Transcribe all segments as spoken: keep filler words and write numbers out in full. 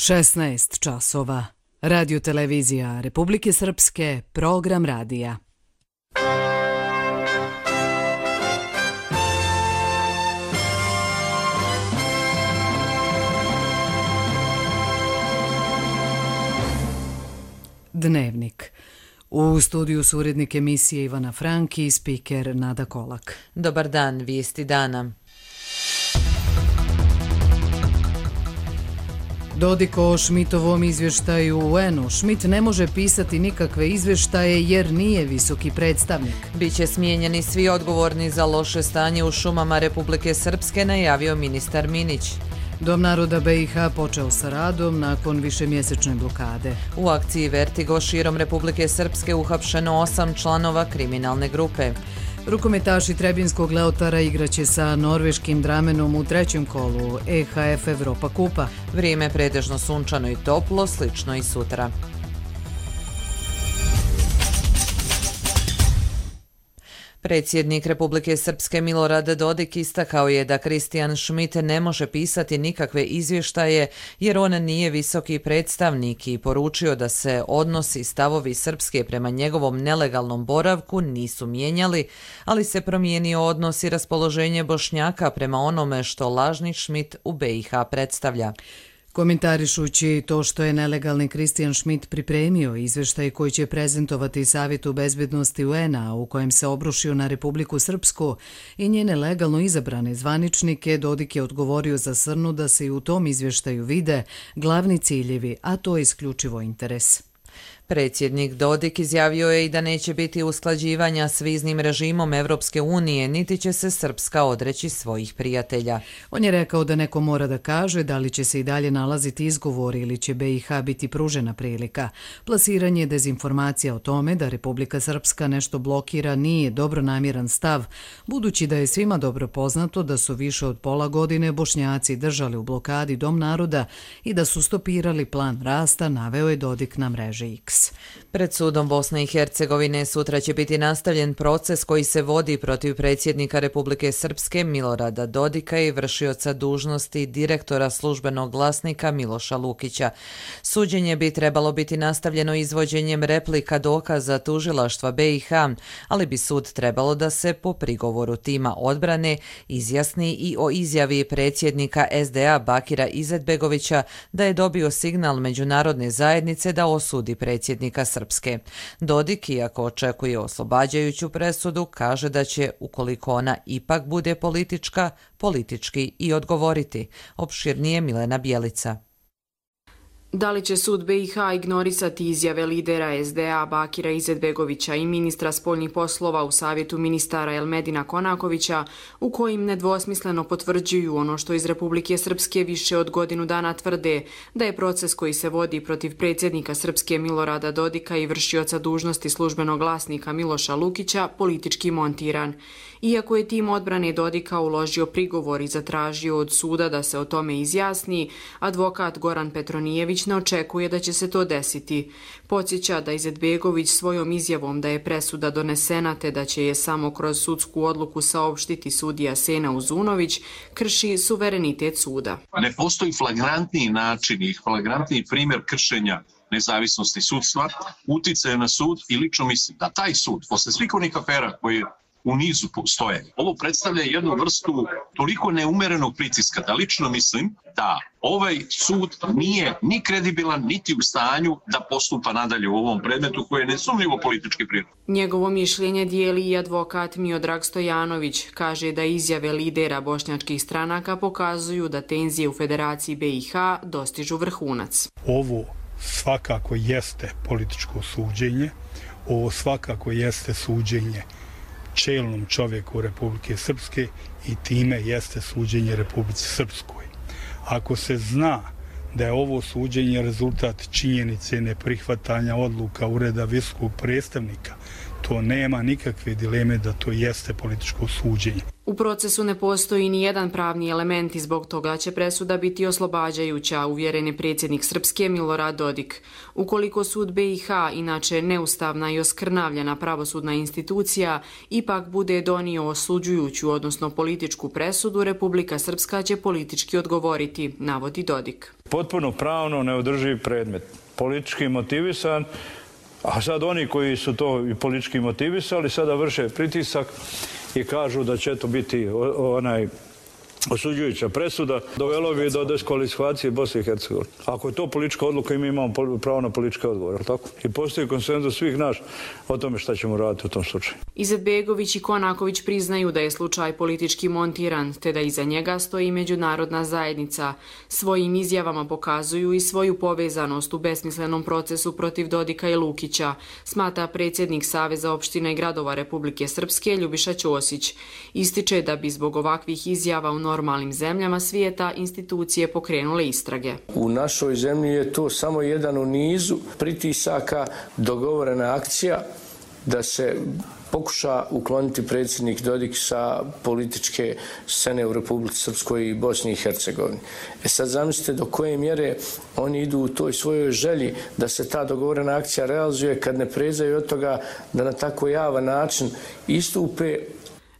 šesnaest časova. Radio televizija Republike Srpske, program radija. Dnevnik. U studiju su urednik emisije Ivana Franki i spiker Nada Kolak. Dobar dan, vijesti dana. Dodik o Šmitovom izvještaju u U N-u. Šmit ne može pisati nikakve izvještaje jer nije visoki predstavnik. Biće smijenjeni svi odgovorni za loše stanje u šumama Republike Srpske, najavio ministar Minić. Dom naroda B i H počeo sa radom nakon višemjesečne blokade. U akciji Vertigo širom Republike Srpske uhapšeno osam članova kriminalne grupe. Rukometaši Trebinskog Leotara igraće sa norveškim Dramenom u trećem kolu E H F Evropa kupa. Vrijeme pretežno sunčano i toplo, slično i sutra. Predsjednik Republike Srpske Milorad Dodik istakao je da Kristijan Šmit ne može pisati nikakve izvještaje jer on nije visoki predstavnik i poručio da se odnosi stavovi Srpske prema njegovom nelegalnom boravku nisu mijenjali, ali se promijenio odnos i raspoloženje Bošnjaka prema onome što lažni Šmit u B i H predstavlja. Komentarišući to što je nelegalni Kristijan Šmit pripremio izvještaj koji će prezentovati Savjetu bezbednosti U N-a u kojem se obrušio na Republiku Srpsku i njene legalno izabrane zvaničnike, Dodik je odgovorio za Srnu da se i u tom izvještaju vide glavni ciljevi, a to je isključivo interes. Predsjednik Dodik izjavio je i da neće biti usklađivanja s viznim režimom Evropske unije, niti će se Srpska odreći svojih prijatelja. On je rekao da neko mora da kaže da li će se i dalje nalaziti izgovori ili će B i H biti pružena prilika. Plasiranje dezinformacija o tome da Republika Srpska nešto blokira nije dobronamjeran stav, budući da je svima dobro poznato da su više od pola godine Bošnjaci držali u blokadi Dom naroda i da su stopirali plan rasta, naveo je Dodik na mreži X. Pred sudom Bosne i Hercegovine sutra će biti nastavljen proces koji se vodi protiv predsjednika Republike Srpske Milorada Dodika i vršioca dužnosti direktora službenog glasnika Miloša Lukića. Suđenje bi trebalo biti nastavljeno izvođenjem replika dokaza tužilaštva B i H, ali bi sud trebalo da se po prigovoru tima odbrane izjasni i o izjavi predsjednika S D A Bakira Izetbegovića da je dobio signal međunarodne zajednice da osudi predsjednika Srpske. Dodik, iako očekuje oslobađajuću presudu, kaže da će, ukoliko ona ipak bude politička, politički i odgovoriti. Opširnije Milena Bjelica. Da li će sud B i H ignorisati izjave lidera S D A Bakira Izetbegovića i ministra spoljnih poslova u Savjetu ministara Elmedina Konakovića, u kojim nedvosmisleno potvrđuju ono što iz Republike Srpske više od godinu dana tvrde, da je proces koji se vodi protiv predsjednika Srpske Milorada Dodika i vršioca dužnosti službenog glasnika Miloša Lukića politički montiran. Iako je tim odbrane Dodika uložio prigovor i zatražio od suda da se o tome izjasni, advokat Goran Petronijević ne očekuje da će se to desiti. Podsjeća da Izetbegović svojom izjavom da je presuda donesena te da će je samo kroz sudsku odluku saopštiti sudija Sena Uzunović krši suverenitet suda. Ne postoji flagrantniji način i flagrantniji primjer kršenja nezavisnosti sudstva, uticaja na sud i lično mislim da taj sud, posle svih onih afera koje u nizu stoje, ovo predstavlja jednu vrstu toliko neumerenog pritiska da lično mislim da ovaj sud nije ni kredibilan, niti u stanju da postupa nadalje u ovom predmetu koji je nesumnjivo politički prirod. Njegovo mišljenje dijeli i advokat Miodrag Stojanović. Kaže da izjave lidera bošnjačkih stranaka pokazuju da tenzije u Federaciji B i H dostižu vrhunac. Ovo svakako jeste političko suđenje, ovo svakako jeste suđenje čelnom čovjeku Republike Srpske i time jeste suđenje Republici Srpskoj. Ako se zna da je ovo suđenje rezultat činjenice neprihvatanja odluka Ureda visokog predstavnika, to nema nikakve dileme da to jeste političko suđenje. U procesu ne postoji ni jedan pravni element i zbog toga će presuda biti oslobađajuća, uvjeren je predsjednik Srpske Milorad Dodik. Ukoliko sud B i H, inače neustavna i oskrnavljena pravosudna institucija, ipak bude donio osuđujuću, odnosno političku presudu, Republika Srpska će politički odgovoriti, navodi Dodik. Potpuno pravno neodrživ predmet, politički motivisan, a sad oni koji su to i politički motivisali sada vrše pritisak i kažu da će to biti onaj osuđujuća presuda, dovelo bi do diskvalifikacije Bosne i Hercegovine. Ako je to politička odluka i mi imamo pravo na politički odgovor, tako? I postoji konsenzus svih nas o tome šta ćemo raditi u tom slučaju. Izetbegović i Konaković priznaju da je slučaj politički montiran, te da iza njega stoji međunarodna zajednica. Svojim izjavama pokazuju i svoju povezanost u besmislenom procesu protiv Dodika i Lukića, smatra predsjednik Saveza opština i gradova Republike Srpske Ljubiša Ćosić. Ističe da bi zbog ovakvih izjava u normalnim zemljama svijeta institucije pokrenule istrage. U našoj zemlji je to samo jedan u nizu pritisaka, dogovorena akcija da se pokuša ukloniti predsjednik Dodik sa političke scene u Republici Srpskoj i Bosni i Hercegovini. E sad zamislite do koje mjere oni idu u toj svojoj želji da se ta dogovorena akcija realizuje kad ne prezaju od toga da na tako javan način istupe.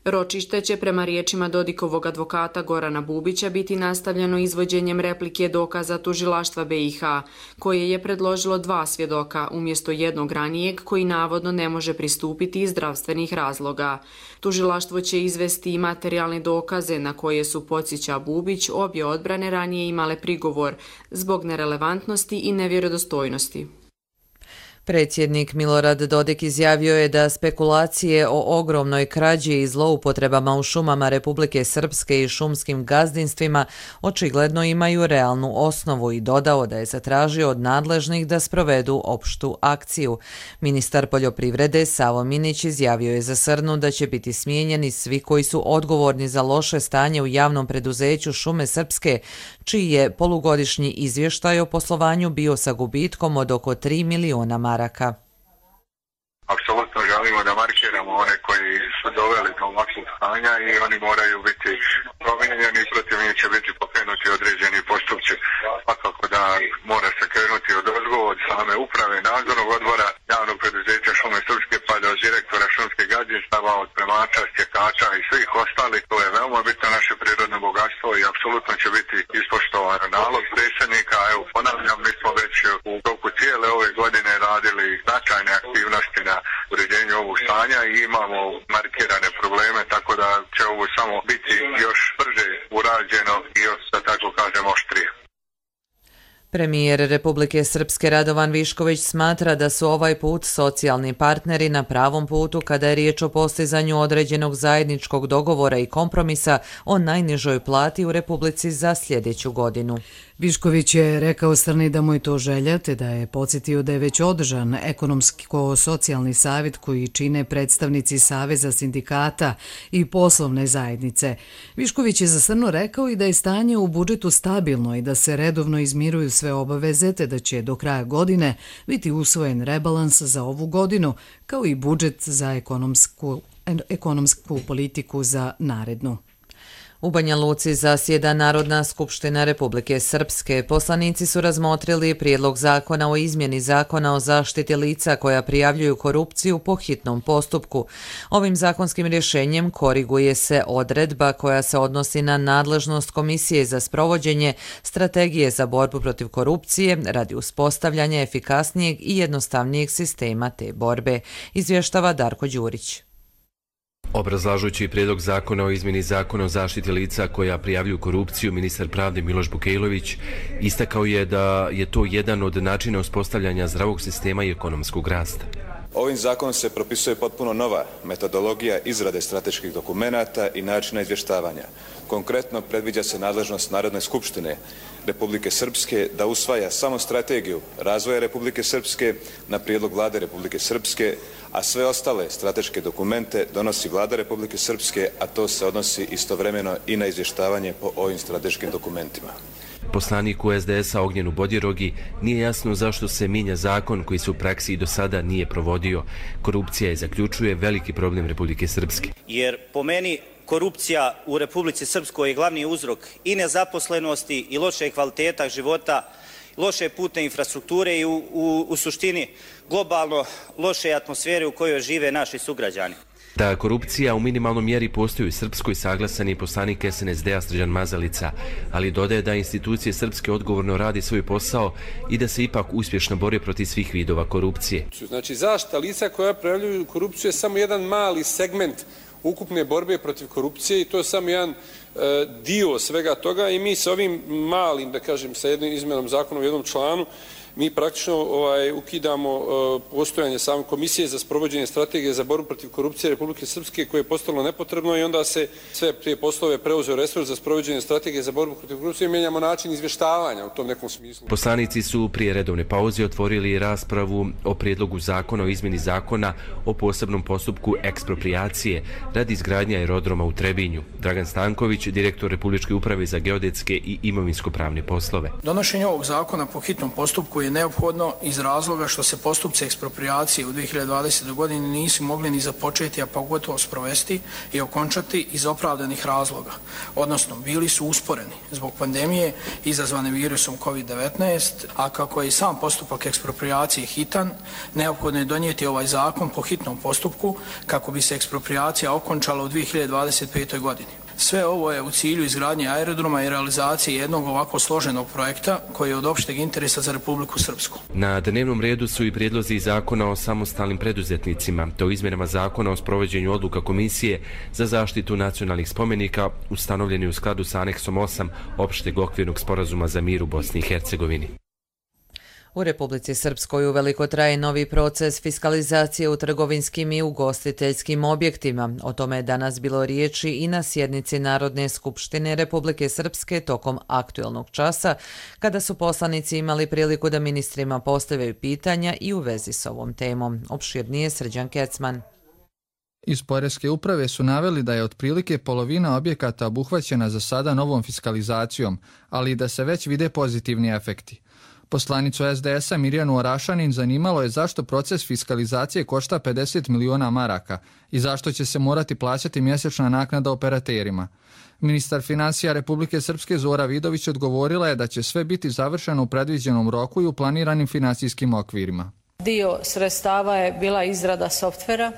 Ročište će prema riječima Dodikovog advokata Gorana Bubića biti nastavljeno izvođenjem replike dokaza tužilaštva B i H, koje je predložilo dva svjedoka umjesto jednog ranijeg koji navodno ne može pristupiti iz zdravstvenih razloga. Tužilaštvo će izvesti i materijalne dokaze na koje su, podsjeća Bubić, obje odbrane ranije imale prigovor zbog nerelevantnosti i nevjerodostojnosti. Predsjednik Milorad Dodik izjavio je da spekulacije o ogromnoj krađi i zloupotrebama u šumama Republike Srpske i šumskim gazdinstvima očigledno imaju realnu osnovu i dodao da je zatražio od nadležnih da sprovedu opštu akciju. Ministar poljoprivrede Savo Minić izjavio je za Srnu da će biti smijenjeni svi koji su odgovorni za loše stanje u javnom preduzeću Šume Srpske, čiji je polugodišnji izvještaj o poslovanju bio sa gubitkom od oko tri miliona maraka. Apsolutno želimo da markiramo one koji su doveli do ovakvog stanja i oni moraju biti promijenjeni, protiv njih će biti pokrenuti određeni postupci. Svakako da mora se krenuti od odgovora od same uprave, nadzornog odbora javnog preduzeća Šume Srpske pa do direktora šumskih gazdinstava, od premača, stjekača i svih ostalih. To je veoma bitno naše prirodno bogatstvo i apsolutno će biti ispoštovan nalog predsjednika. Evo, ponavljam, mi smo već u toku cijele ove godine radili značajne aktivnosti na uređenju ovog stanja i imamo markirane probleme, tako da će ovo samo biti još brže urađeno i još, da tako kažem, oštrije. Premijer Republike Srpske Radovan Višković smatra da su ovaj put socijalni partneri na pravom putu kada je riječ o postizanju određenog zajedničkog dogovora i kompromisa o najnižoj plati u Republici za sljedeću godinu. Višković je rekao Srni da mu je to želja, te da je podsjetio da je već održan ekonomsko-socijalni savjet koji čine predstavnici Saveza sindikata i poslovne zajednice. Višković je za Srnu rekao i da je stanje u budžetu stabilno i da se redovno izmiruju sve obaveze, te da će do kraja godine biti usvojen rebalans za ovu godinu, kao i budžet za ekonomsku, ekonomsku politiku za narednu. U Banja Luci zasjeda Narodna skupština Republike Srpske. Poslanici su razmotrili prijedlog zakona o izmjeni zakona o zaštiti lica koja prijavljuju korupciju po hitnom postupku. Ovim zakonskim rješenjem koriguje se odredba koja se odnosi na nadležnost Komisije za sprovođenje strategije za borbu protiv korupcije radi uspostavljanja efikasnijeg i jednostavnijeg sistema te borbe, izvještava Darko Đurić. Obrazlažući prijedlog zakona o izmjeni zakona o zaštiti lica koja prijavljuju korupciju, ministar pravde Miloš Bukejlović istakao je da je to jedan od načina uspostavljanja zdravog sistema i ekonomskog rasta. Ovim zakonom se propisuje potpuno nova metodologija izrade strateških dokumenata i načina izvještavanja. Konkretno, predviđa se nadležnost Narodne skupštine Republike Srpske da usvaja samo strategiju razvoja Republike Srpske na prijedlog Vlade Republike Srpske, a sve ostale strateške dokumente donosi Vlada Republike Srpske, a to se odnosi istovremeno i na izvještavanje po ovim strateškim dokumentima. Poslaniku es de esa Ognjenu Bodirogi nije jasno zašto se mijenja zakon koji se u praksi i do sada nije provodio. Korupcija je, zaključuje, veliki problem Republike Srpske. Jer po meni korupcija u Republici Srpskoj je glavni uzrok i nezaposlenosti i loše kvaliteta života, loše putne infrastrukture i u, u, u suštini globalno loše atmosfere u kojoj žive naši sugrađani. Da korupcija u minimalnom mjeri postoji u Srpskoj saglasan je poslanik S N S D-a Srđan Mazalica, ali dodaje da institucije Srpske odgovorno radi svoj posao i da se ipak uspješno bori protiv svih vidova korupcije. Znači, zaštita lica koja prijavljuju korupciju je samo jedan mali segment ukupne borbe protiv korupcije i to je samo jedan e, dio svega toga i mi sa ovim malim, da kažem, sa jednim izmjenom zakona u jednom članu, mi praktično ovaj, ukidamo uh, postojanje same komisije za sprovođenje strategije za borbu protiv korupcije Republike Srpske koje je postalo nepotrebno i onda se sve te poslove preuzeo resurs za sprovođenje strategije za borbu protiv korupcije i mijenjamo način izvještavanja u tom nekom smislu. Poslanici su prije redovne pauze otvorili raspravu o prijedlogu zakona o izmjeni zakona o posebnom postupku eksproprijacije radi izgradnje aerodroma u Trebinju. Dragan Stanković, direktor Republičke uprave za geodetske i imovinsko-pravne poslove. Donošenje ovog zakona po hitnom postupku je neophodno iz razloga što se postupci eksproprijacije u dvije hiljade dvadesetoj godini nisu mogli ni započeti, a pogotovo sprovesti i okončati iz opravdanih razloga, odnosno bili su usporeni zbog pandemije izazvane virusom kovid devetnaest, a kako je i sam postupak eksproprijacije hitan, neophodno je donijeti ovaj zakon po hitnom postupku kako bi se eksproprijacija okončala u dvije hiljade dvadeset petoj godini. Sve ovo je u cilju izgradnje aerodroma i realizacije jednog ovako složenog projekta koji je od opšteg interesa za Republiku Srpsku. Na dnevnom redu su i prijedlozi zakona o samostalnim preduzetnicima, te o izmjenama zakona o sprovođenju odluka Komisije za zaštitu nacionalnih spomenika ustanovljeni u skladu sa aneksom osam opšteg okvirnog sporazuma za mir u Bosni i Hercegovini. U Republici Srpskoj uveliko traje novi proces fiskalizacije u trgovinskim i ugostiteljskim objektima. O tome je danas bilo riječi i na sjednici Narodne skupštine Republike Srpske tokom aktuelnog časa, kada su poslanici imali priliku da ministrima postavljaju pitanja i u vezi s ovom temom. Opširnije Srđan Kecman. Iz Poreske uprave su naveli da je otprilike polovina objekata obuhvaćena za sada novom fiskalizacijom, ali i da se već vide pozitivni efekti. Poslanicu S D S-a Mirjanu Orašanin zanimalo je zašto proces fiskalizacije košta pedeset miliona maraka i zašto će se morati plaćati mjesečna naknada operaterima. Ministar financija Republike Srpske Zora Vidović odgovorila je da će sve biti završeno u predviđenom roku i u planiranim financijskim okvirima. Dio sredstava je bila izrada softvera,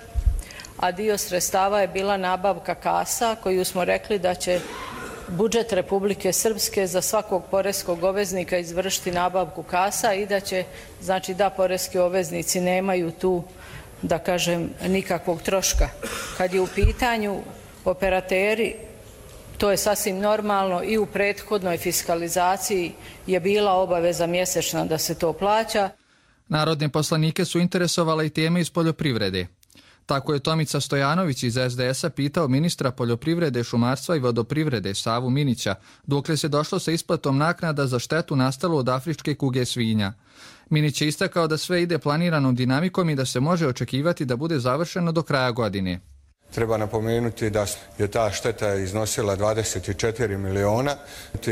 a dio sredstava je bila nabavka kasa koju smo rekli da će budžet Republike Srpske za svakog poreskog obveznika izvršiti nabavku kasa i da će, znači da poreski obveznici nemaju tu, da kažem, nikakvog troška. Kad je u pitanju operateri, to je sasvim normalno i u prethodnoj fiskalizaciji je bila obaveza mjesečna da se to plaća. Narodne poslanike su interesovale i teme iz poljoprivrede. Tako je Tomica Stojanović iz S D S-a pitao ministra poljoprivrede, šumarstva i vodoprivrede Savu Minića dokle se došlo sa isplatom naknada za štetu nastalu od afričke kuge svinja. Minić je istakao da sve ide planiranom dinamikom i da se može očekivati da bude završeno do kraja godine. Treba napomenuti da je ta šteta iznosila dvadeset četiri miliona,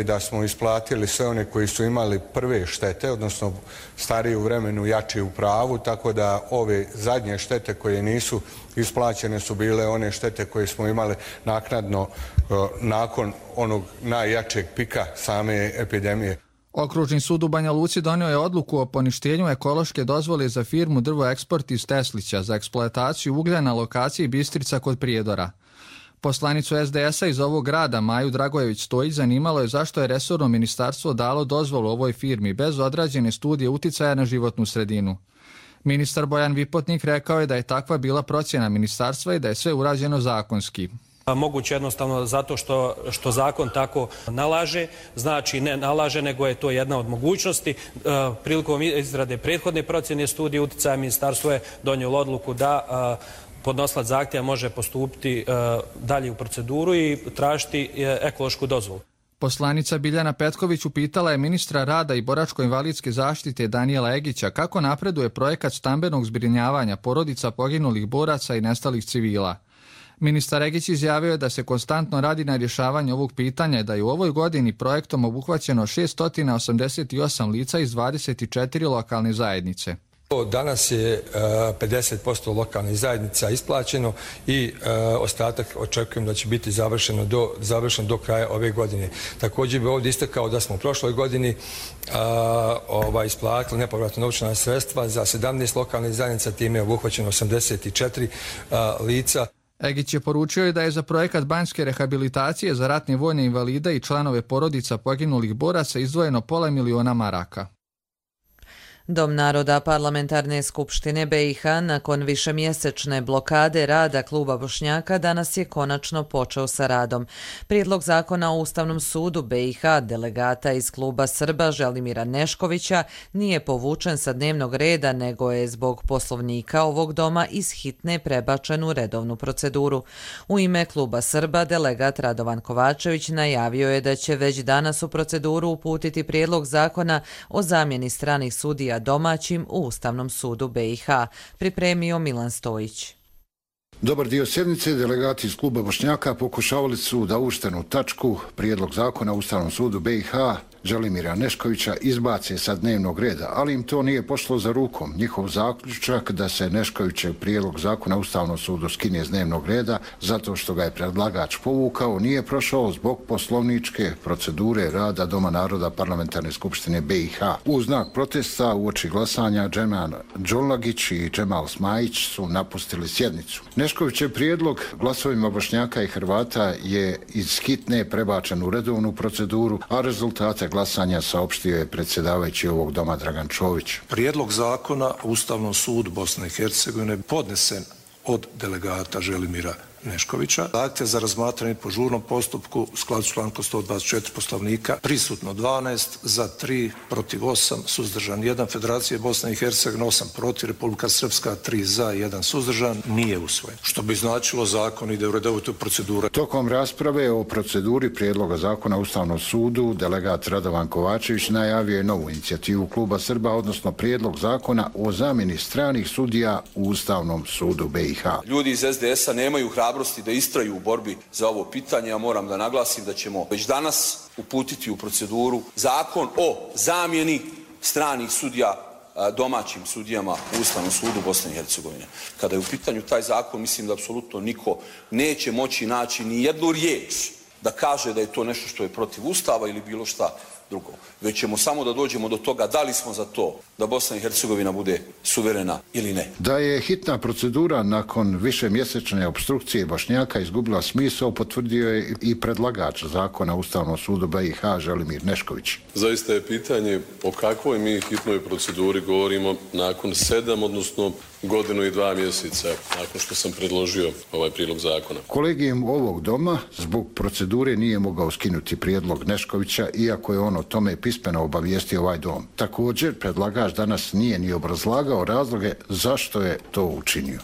da smo isplatili sve one koji su imali prve štete, odnosno stariji u vremenu, jači u pravu, tako da ove zadnje štete koje nisu isplaćene su bile one štete koje smo imali naknadno nakon onog najjačeg pika same epidemije. Okružni sud u Banja Luci donio je odluku o poništenju ekološke dozvole za firmu Drvo Eksport iz Teslića za eksploataciju uglja na lokaciji Bistrica kod Prijedora. Poslanicu S D S-a iz ovog grada Maju Dragojević Stojić zanimalo je zašto je resorno ministarstvo dalo dozvolu ovoj firmi bez odrađene studije uticaja na životnu sredinu. Ministar Bojan Vipotnik rekao je da je takva bila procjena ministarstva i da je sve urađeno zakonski. Moguće jednostavno zato što, što zakon tako nalaže, znači ne nalaže, nego je to jedna od mogućnosti. Prilikom izrade prethodne procjene studije uticaja ministarstvo je donijelo odluku da podnosilac zahtjeva može postupiti dalje u proceduru i tražiti ekološku dozvolu. Poslanica Biljana Petković upitala je ministra rada i boračko-invalidske zaštite Danijela Egića kako napreduje projekat stambenog zbrinjavanja porodica poginulih boraca i nestalih civila. Ministar Egić izjavio je da se konstantno radi na rješavanju ovog pitanja i da je u ovoj godini projektom obuhvaćeno šest osamdeset osam lica iz dvadeset četiri lokalne zajednice. Danas je pedeset posto lokalnih zajednica isplaćeno i ostatak očekujem da će biti završeno do, završeno do kraja ove godine. Također bi ovdje istakao da smo u prošloj godini a, ova, isplatili nepovratno novčana sredstva za sedamnaest lokalnih zajednica, time je obuhvaćeno osamdeset četiri a, lica. Egić je poručio da je za projekat banjske rehabilitacije za ratne vojne invalide i članove porodica poginulih boraca izdvojeno pola miliona maraka. Dom naroda Parlamentarne skupštine B i H nakon višemjesečne blokade rada kluba Bošnjaka danas je konačno počeo sa radom. Prijedlog zakona o Ustavnom sudu B i H delegata iz kluba Srba Želimira Neškovića nije povučen sa dnevnog reda, nego je zbog poslovnika ovog doma iz hitne prebačen u redovnu proceduru. U ime kluba Srba delegat Radovan Kovačević najavio je da će već danas u proceduru uputiti prijedlog zakona o zamjeni stranih sudija domaćim u Ustavnom sudu B i H, pripremio Milan Stojić. Dobar dio sjednice delegati iz kluba Bošnjaka pokušavali su da uvrštenu tačku prijedlog zakona o Ustavnom sudu B i H Želimira Neškovića izbace sa dnevnog reda, ali im to nije pošlo za rukom. Njihov zaključak da se Neškovićev prijedlog zakona o Ustavnom sudu skine s dnevnog reda zato što ga je predlagač povukao nije prošao zbog poslovničke procedure rada Doma naroda Parlamentarne skupštine B i H. U znak protesta uoči glasanja Džemal Đolagić i Džemal Smajić su napustili sjednicu. Neškovićev prijedlog glasovima Bošnjaka i Hrvata je iz hitne prebačen u redovnu proceduru, a rezultate glasanja saopštio je predsjedavajući ovog doma Dragan Čović. Prijedlog zakona o Ustavnom sudu Bosne i Hercegovine podnesen od delegata Želimira Neškovića. Zahtjev za razmatranje po žurnom postupku u skladu s člankom sto dvadeset četiri Poslovnika prisutno dvanaest, za tri, protiv osam, suzdržan jedan. Federacije Bosne i Hercegovine osam protiv, Republika Srpska tri za, jedan suzdržan, nije usvojen. Što bi značilo zakon ide u redovitu proceduru. Tokom rasprave o proceduri prijedloga zakona o Ustavnom sudu delegat Radovan Kovačević najavio je novu inicijativu kluba Srba, odnosno prijedlog zakona o zamjeni stranih sudija u Ustavnom sudu B i H. Ljudi iz S D S-a nemaju hrabrosti da istraju u borbi za ovo pitanje. Ja moram da naglasim da ćemo već danas uputiti u proceduru zakon o zamjeni stranih sudija domaćim sudijama u Ustavnom sudu Bosne i Hercegovine. Kada je u pitanju taj zakon, mislim da apsolutno niko neće moći naći ni jednu riječ da kaže da je to nešto što je protiv Ustava ili bilo šta drugo. Već ćemo samo da dođemo do toga da li smo za to da Bosna i Hercegovina bude suverena ili ne. Da je hitna procedura nakon višemjesečne opstrukcije Bošnjaka izgubila smisao, potvrdio je i predlagač zakona o Ustavnom sudu B i H Želimir Nešković. Zaista je pitanje o kakvoj mi hitnoj proceduri govorimo nakon sedam, odnosno godinu i dva mjeseca nakon što sam predložio ovaj prijedlog zakona. Kolegijum ovog doma zbog procedure nije mogao skinuti prijedlog Neškovića, iako je on o tome pismeno obavijestio ovaj dom. Također, predlagač danas nije ni obrazlagao razloge zašto je to učinio.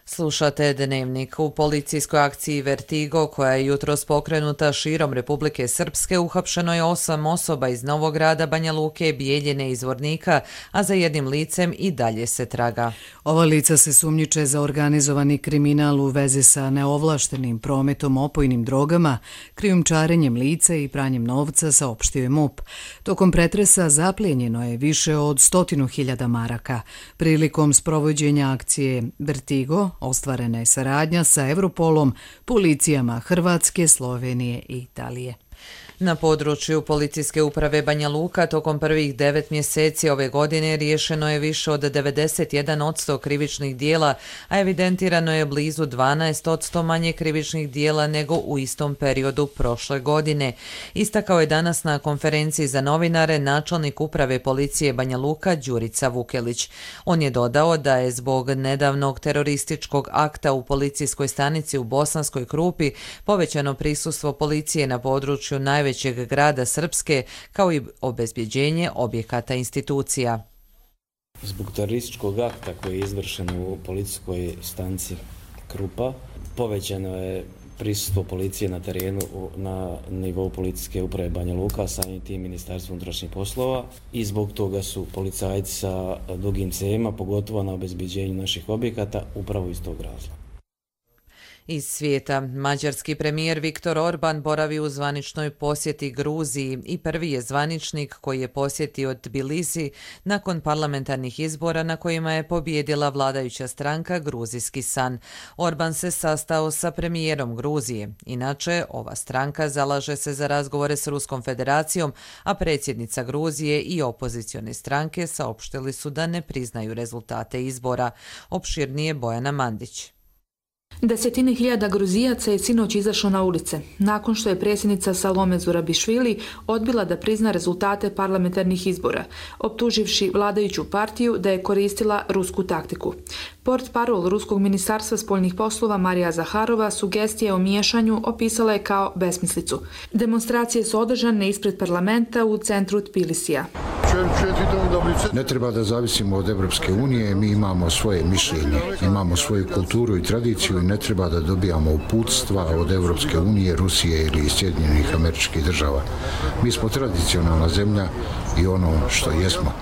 Slušate Dnevnik. U policijskoj akciji Vertigo, koja je jutros pokrenuta širom Republike Srpske, uhapšeno je osam osoba iz Novog Grada, Banja Luke, Bijeljine i Zvornika, a za jednim licem i dalje se traga. Ova lica se sumnjiče za organizovani kriminal u vezi sa neovlaštenim prometom opojnim drogama, krijumčarenjem lica i pranjem novca, saopštio je M U P. Tokom pretresa zaplijenjeno je više od stotinu hiljada maraka. Prilikom sprovođenja akcije Vertigo ostvarena je saradnja sa Europolom, policijama Hrvatske, Slovenije i Italije. Na području policijske uprave Banja Luka tokom prvih devet mjeseci ove godine riješeno je više od devedeset jedan posto krivičnih dijela, a evidentirano je blizu dvanaest posto manje krivičnih dijela nego u istom periodu prošle godine. Istakao je danas na konferenciji za novinare načelnik uprave policije Banja Luka Đurica Vukelić. On je dodao da je zbog nedavnog terorističkog akta u policijskoj stanici u Bosanskoj Krupi povećano prisustvo policije na području najvećeg većeg grada Srpske, kao i obezbjeđenje objekata institucija. Zbog terorističkog akta koji je izvršen u policijskoj stanici Krupa, povećano je prisustvo policije na terenu na nivou policijske uprave Banja Luka, samim tim Ministarstvo unutrašnjih poslova, i zbog toga su policajci sa dugim cevima, pogotovo na obezbjeđenju naših objekata, upravo iz tog razloga. Iz svijeta, mađarski premijer Viktor Orban boravi u zvaničnoj posjeti Gruziji i prvi je zvaničnik koji je posjetio Tbilisi nakon parlamentarnih izbora na kojima je pobijedila vladajuća stranka Gruzijski san. Orban se sastao sa premijerom Gruzije. Inače, ova stranka zalaže se za razgovore s Ruskom federacijom, a predsjednica Gruzije i opozicione stranke saopštili su da ne priznaju rezultate izbora. Opširnije Bojana Mandić. Desetine hiljada Gruzijaca je sinoć izašlo na ulice, nakon što je predsjednica Salome Zurabišvili odbila da prizna rezultate parlamentarnih izbora, optuživši vladajuću partiju da je koristila rusku taktiku. Portparol Ruskog ministarstva spoljnih poslova Marija Zaharova sugestije o miješanju opisala je kao besmislicu. Demonstracije su održane ispred parlamenta u centru Tbilisija. Ne treba da zavisimo od Evropske unije, mi imamo svoje mišljenje, imamo svoju kulturu i tradiciju i ne treba da dobijamo uputstva od Evropske unije, Rusije ili Sjedinjenih Američkih Država. Mi smo tradicionalna zemlja i ono što jesmo.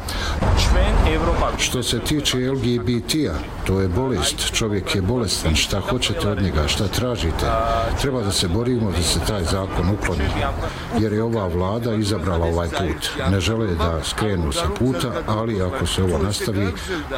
Što se tiče L G B T-a, to je bolest, čovjek je bolestan, šta hoćete od njega, šta tražite. Treba da se borimo da se taj zakon ukloni, jer je ova vlada izabrala ovaj put. Ne žele da skrenu sa puta, ali ako se ovo nastavi,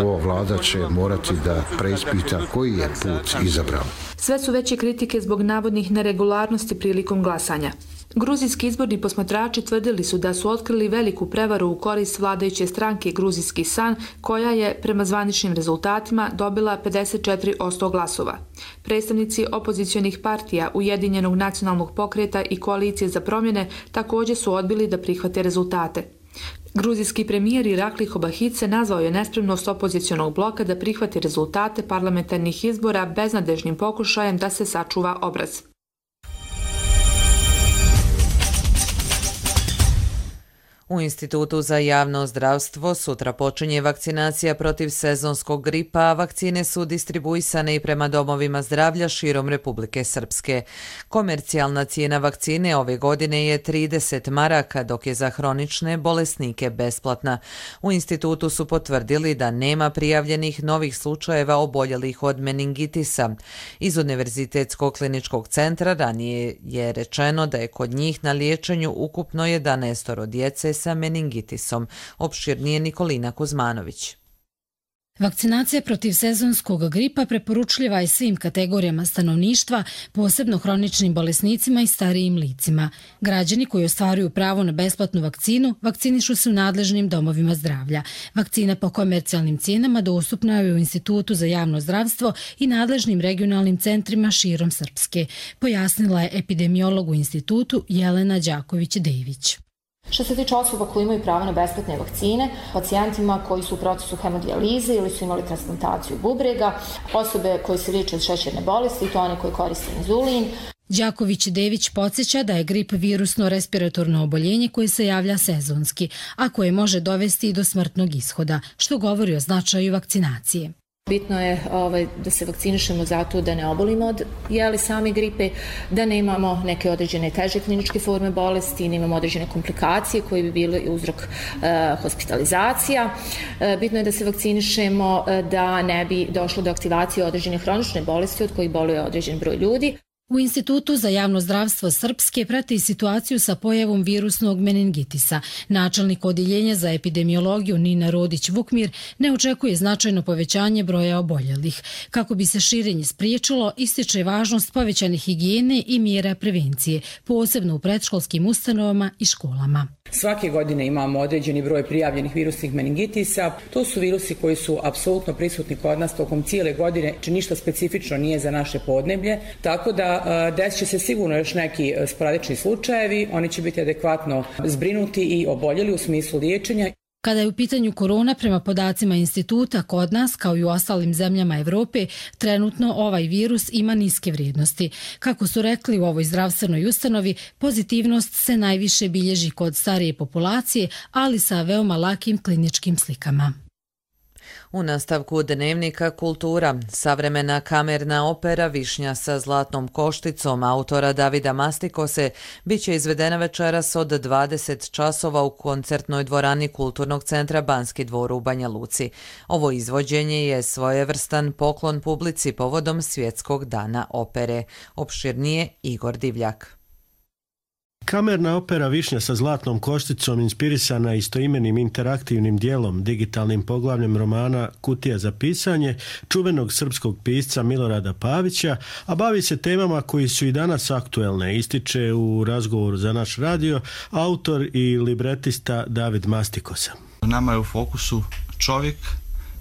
ova vlada će morati da preispita koji je put izabrala. Sve su veće kritike zbog navodnih neregularnosti prilikom glasanja. Gruzijski izborni posmatrači tvrdili su da su otkrili veliku prevaru u korist vladajuće stranke Gruzijski san, koja je, prema zvaničnim rezultatima, dobila pedeset četiri posto glasova. Predstavnici opozicionih partija Ujedinjenog nacionalnog pokreta i Koalicije za promjene također su odbili da prihvate rezultate. Gruzijski premijer Irakli Hobahidze nazvao je nespremnost opozicionog bloka da prihvati rezultate parlamentarnih izbora beznadežnim pokušajem da se sačuva obraz. U Institutu za javno zdravstvo sutra počinje vakcinacija protiv sezonskog gripa, a vakcine su distribuisane i prema domovima zdravlja širom Republike Srpske. Komercijalna cijena vakcine ove godine je trideset maraka, dok je za hronične bolesnike besplatna. U institutu su potvrdili da nema prijavljenih novih slučajeva oboljelih od meningitisa. Iz Univerzitetskog kliničkog centra ranije je rečeno da je kod njih na liječenju ukupno jedanaest djece sa meningitisom. Opširnije Nikolina Kuzmanović. Vakcinacija protiv sezonskog gripa preporučljiva je svim kategorijama stanovništva, posebno hroničnim bolesnicima i starijim licima. Građani koji ostvaruju pravo na besplatnu vakcinu vakcinišu se u nadležnim domovima zdravlja. Vakcina po komercijalnim cijenama dostupna je u Institutu za javno zdravstvo i nadležnim regionalnim centrima širom Srpske, pojasnila je epidemiolog u institutu Jelena Đaković-Dević. Što se tiče osoba koji imaju pravo na besplatne vakcine, pacijentima koji su u procesu hemodijalize ili su imali transplantaciju bubrega, osobe koje se liječe od šećerne bolesti i to one koji koriste inzulin. Đaković-Dević podsjeća da je grip virusno respiratorno oboljenje koje se javlja sezonski, a koje može dovesti i do smrtnog ishoda, što govori o značaju vakcinacije. Bitno je ovaj, da se vakcinišemo zato da ne obolimo od jeli same gripe, da ne imamo neke određene teže kliničke forme bolesti, ne imamo određene komplikacije koje bi bile uzrok e, hospitalizacija. E, bitno je da se vakcinišemo e, da ne bi došlo do aktivacije određene hronične bolesti od kojih boluje određen broj ljudi. U Institutu za javno zdravstvo Srpske prati situaciju sa pojavom virusnog meningitisa. Načelnik odjeljenja za epidemiologiju Nina Rodić-Vukmir ne očekuje značajno povećanje broja oboljelih. Kako bi se širenje spriječilo, ističe važnost povećane higijene i mjera prevencije, posebno u predškolskim ustanovama i školama. Svake godine imamo određeni broj prijavljenih virusnih meningitisa. To su virusi koji su apsolutno prisutni kod nas tokom cijele godine, či ništa specifično nije za naše podneblje, tako da desit će se sigurno još neki sporadični slučajevi, oni će biti adekvatno zbrinuti i oboljeli u smislu liječenja. Kada je u pitanju korona, prema podacima instituta, kod nas, kao i u ostalim zemljama Evrope, trenutno ovaj virus ima niske vrijednosti. Kako su rekli u ovoj zdravstvenoj ustanovi, pozitivnost se najviše bilježi kod starije populacije, ali sa veoma lakim kliničkim slikama. U nastavku dnevnika kultura, savremena kamerna opera Višnja sa zlatnom košticom autora Davida Mastikose biće izvedena večeras od dvadeset časova u koncertnoj dvorani Kulturnog centra Banski dvor u Banja Luci. Ovo izvođenje je svojevrstan poklon publici povodom Svjetskog dana opere. Opširnije Igor Divljak. Kamerna opera Višnja sa zlatnom košticom inspirisana istoimenim interaktivnim dijelom, digitalnim poglavljem romana Kutija za pisanje, čuvenog srpskog pisca Milorada Pavića, a bavi se temama koji su i danas aktuelne, ističe u razgovoru za naš radio autor i libretista David Mastikosa. Nama je u fokusu čovjek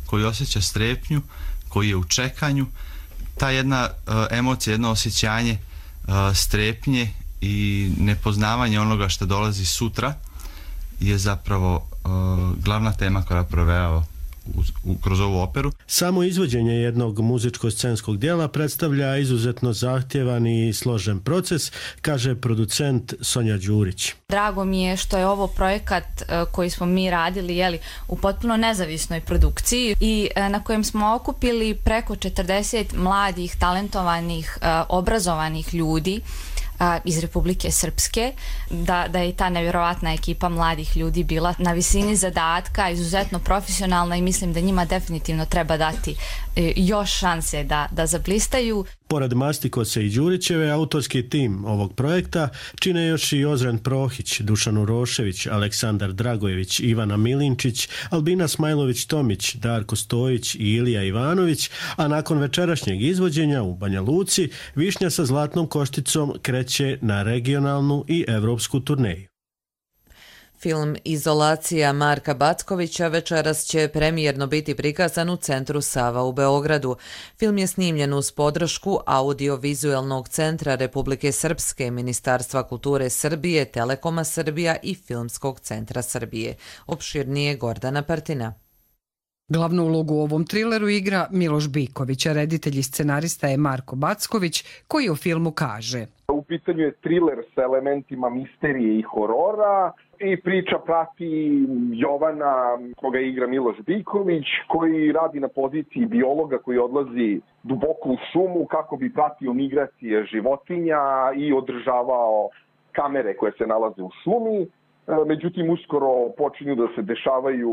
koji osjeća strepnju, koji je u čekanju, ta jedna emocija, jedno osjećanje strepnje i nepoznavanje onoga što dolazi sutra je zapravo glavna tema koja provejava kroz ovu operu. Samo izvođenje jednog muzičko-scenskog dijela predstavlja izuzetno zahtjevan i složen proces, kaže producent Sonja Đurić. Drago mi je što je ovo projekat koji smo mi radili jeli, u potpuno nezavisnoj produkciji i na kojem smo okupili preko četrdeset mladih, talentovanih, obrazovanih ljudi iz Republike Srpske, da, da je ta nevjerovatna ekipa mladih ljudi bila na visini zadatka, izuzetno profesionalna i mislim da njima definitivno treba dati još šanse da, da zablistaju. Pored Mastikose i Đurićeve, autorski tim ovog projekta čine još i Ozren Prohić, Dušan Urošević, Aleksandar Dragojević, Ivana Milinčić, Albina Smajlović-Tomić, Darko Stojić i Ilija Ivanović, a nakon večerašnjeg izvođenja u Banja Luci, Višnja sa zlatnom košticom kreće na regionalnu i evropsku turneju. Film Izolacija Marka Backovića večeras će premijerno biti prikazan u Centru Sava u Beogradu. Film je snimljen uz podršku Audiovizualnog centra Republike Srpske, Ministarstva kulture Srbije, Telekoma Srbija i Filmskog centra Srbije. Opširnije Gordana Partina. Glavnu ulogu u ovom trileru igra Miloš Biković, a reditelj i scenarista je Marko Backović, koji o filmu kaže: U pitanju je triler sa elementima misterije i horora i priča prati Jovana, koga igra Miloš Biković, koji radi na poziciji biologa koji odlazi duboko u šumu kako bi pratio migracije životinja i održavao kamere koje se nalaze u šumi. Međutim, uskoro počinju da se dešavaju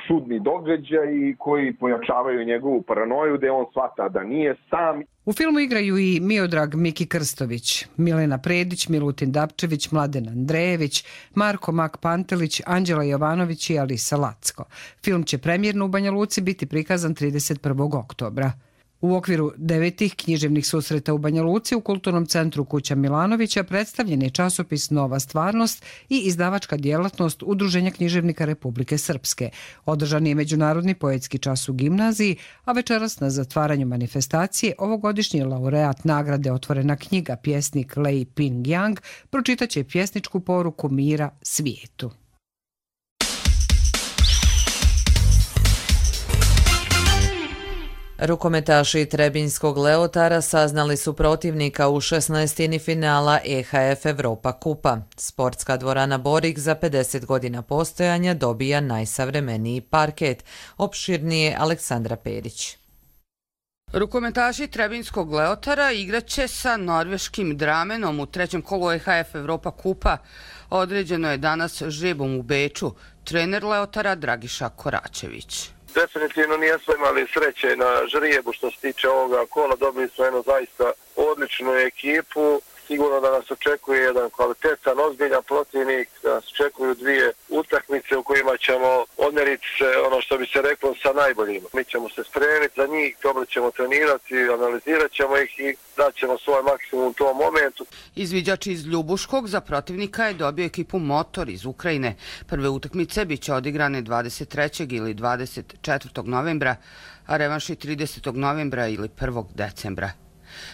čudni događaji koji pojačavaju njegovu paranoju da on shvata da nije sam. U filmu igraju i Miodrag Miki Krstović, Milena Predić, Milutin Dapčević, Mladen Andrejević, Marko Mak Pantelić, Anđela Jovanović i Alisa Lacko. Film će premijerno u Banja Luci biti prikazan trideset prvog oktobra. U okviru devetih književnih susreta u Banja Luci u Kulturnom centru Kuća Milanovića predstavljen je časopis Nova stvarnost i izdavačka djelatnost Udruženja književnika Republike Srpske. Održan je međunarodni poetski čas u gimnaziji, a večeras na zatvaranju manifestacije ovogodišnji laureat nagrade Otvorena knjiga, pjesnik Lei Ping Yang, pročitaće pjesničku poruku mira svijetu. Rukometaši Trebinjskog Leotara saznali su protivnika u šesnaestini finala E H F Evropa kupa. Sportska dvorana Borik za pedeset godina postojanja dobija najsavremeniji parket. Opširnije Aleksandra Perić. Rukometaši Trebinjskog Leotara igraće sa norveškim Dramenom u trećem kolu E H F Evropa kupa. Određeno je danas žrebom u Beču. Trener Leotara Dragiša Koračević. Definitivno nijesmo imali sreće na žrijebu što se tiče ovoga kola. Dobili smo jednu zaista odličnu ekipu. Sigurno da nas očekuje jedan kvalitetan, ozbiljan protivnik, da nas očekuju dvije utakmice u kojima ćemo odmeriti se, ono što bi se reklo, sa najboljima. Mi ćemo se spremiti za njih, dobro ćemo trenirati, analizirat ćemo ih i daćemo svoj maksimum u tom momentu. Izviđač iz Ljubuškog za protivnika je dobio ekipu Motor iz Ukrajine. Prve utakmice biće odigrane dvadeset trećeg ili dvadeset četvrtog novembra, a revanši tridesetog novembra ili prvog decembra.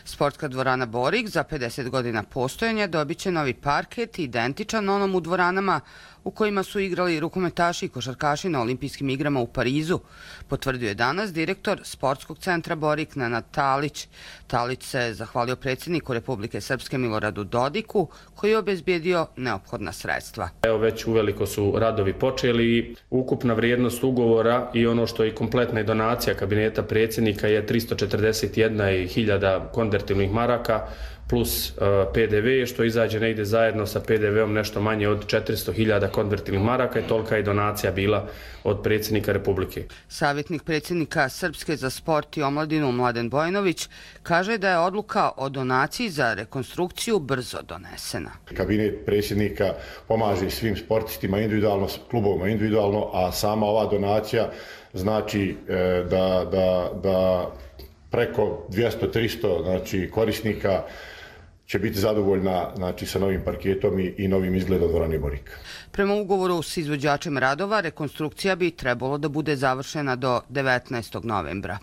Sportska dvorana Borik za pedeset godina postojanja dobit će novi parket identičan onom u dvoranama u kojima su igrali rukometaši i košarkaši na olimpijskim igrama u Parizu, potvrdio je danas direktor Sportskog centra Borik Nenad Talić. Talić se zahvalio predsjedniku Republike Srpske Miloradu Dodiku koji je obezbijedio neophodna sredstva. Evo već uveliko su radovi počeli i ukupna vrijednost ugovora i ono što je kompletna donacija kabineta predsjednika je tristo četrdeset jedna hiljada konvertibilnih maraka plus P D V, što izađe negdje zajedno sa P D V-om nešto manje od četiristo hiljada konvertibilnih maraka i tolika je donacija bila od predsjednika Republike. Savjetnik predsjednika Srpske za sport i omladinu Mladen Bojanović kaže da je odluka o donaciji za rekonstrukciju brzo donesena. Kabinet predsjednika pomaže svim sportistima individualno, klubovima individualno, a sama ova donacija znači da, da, da preko dvjesto do tristo znači, korisnika će biti zadovoljna znači, sa novim parketom i, i novim izgledom dvorane Borik. Prema ugovoru s izvođačem radova, rekonstrukcija bi trebalo da bude završena do devetnaestog novembra.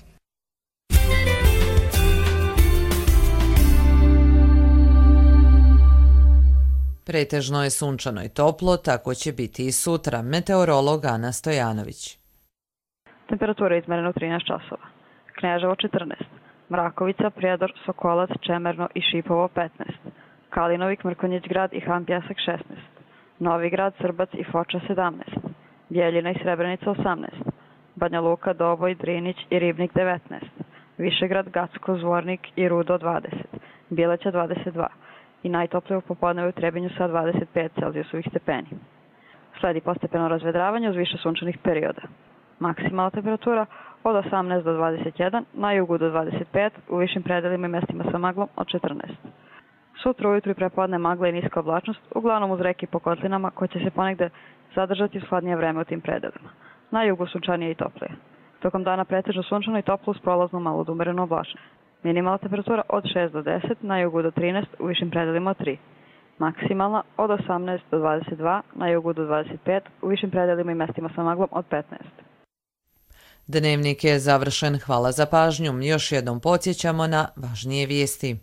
Pretežno je sunčano i toplo, tako će biti i sutra. Meteorolog Ana Stojanović. Temperatura je izmerena u trinaest časova. Kneževo četrnaest, Mrakovica, Prijedor, Sokolac, Čemerno i Šipovo petnaest, Kalinovik, Mrkonjić grad i Han Pjesak šesnaest, Novi grad, Srbac i Foča sedamnaest, Bjeljina i Srebrenica osamnaest, Banja Luka, Doboj, Drinić i Ribnik devetnaest, Višegrad, Gacko, Zvornik i Rudo dvadeset, Bileća dvadeset dva i najtoplije u popodnevu u Trebinju sa dvadeset pet Celzijusovih stepeni. Sledi postepeno razvedravanje uz više sunčanih perioda. Maksimalna temperatura od osamnaest do dvadeset jedan, na jugu do dvadeset pet, u višim predelima i mestima sa maglom od četrnaest. Sutra ujutru i prepodne magla i niska oblačnost, uglavnom uz reke i po kotlinama, koje će se ponegde zadržati uz hladnije vreme u tim predelima. Na jugu sunčanije i toplije. Tokom dana pretežno sunčano i toplo uz prolaznu malo od umereno oblačnost. Minimalna temperatura od šest do deset, na jugu do trinaest, u višim predelima od tri. Maksimalna od osamnaest do dvadeset dva, na jugu do dvadeset pet, u višim predelima i mestima sa maglom od petnaest. Dnevnik je završen. Hvala za pažnju. Još jednom podsjećamo na važnije vijesti.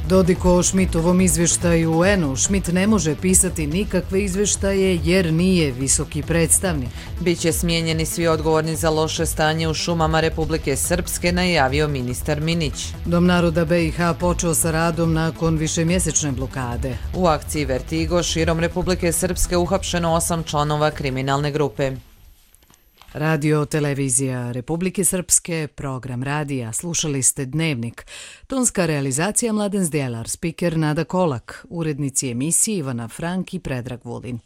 Dodik o Šmitovom izvještaju u U N-u. Šmit ne može pisati nikakve izvještaje jer nije visoki predstavnik. Biće smijenjeni svi odgovorni za loše stanje u šumama Republike Srpske, najavio ministar Minić. Dom naroda B i H počeo sa radom nakon višemjesečne blokade. U akciji Vertigo širom Republike Srpske uhapšeno osam članova kriminalne grupe. Radio televizija Republike Srpske, program radija, slušali ste Dnevnik. Tonska realizacija Mladen Zdjelar, spiker Nada Kolak, urednici emisije Ivana Frank i Predrag Vulin.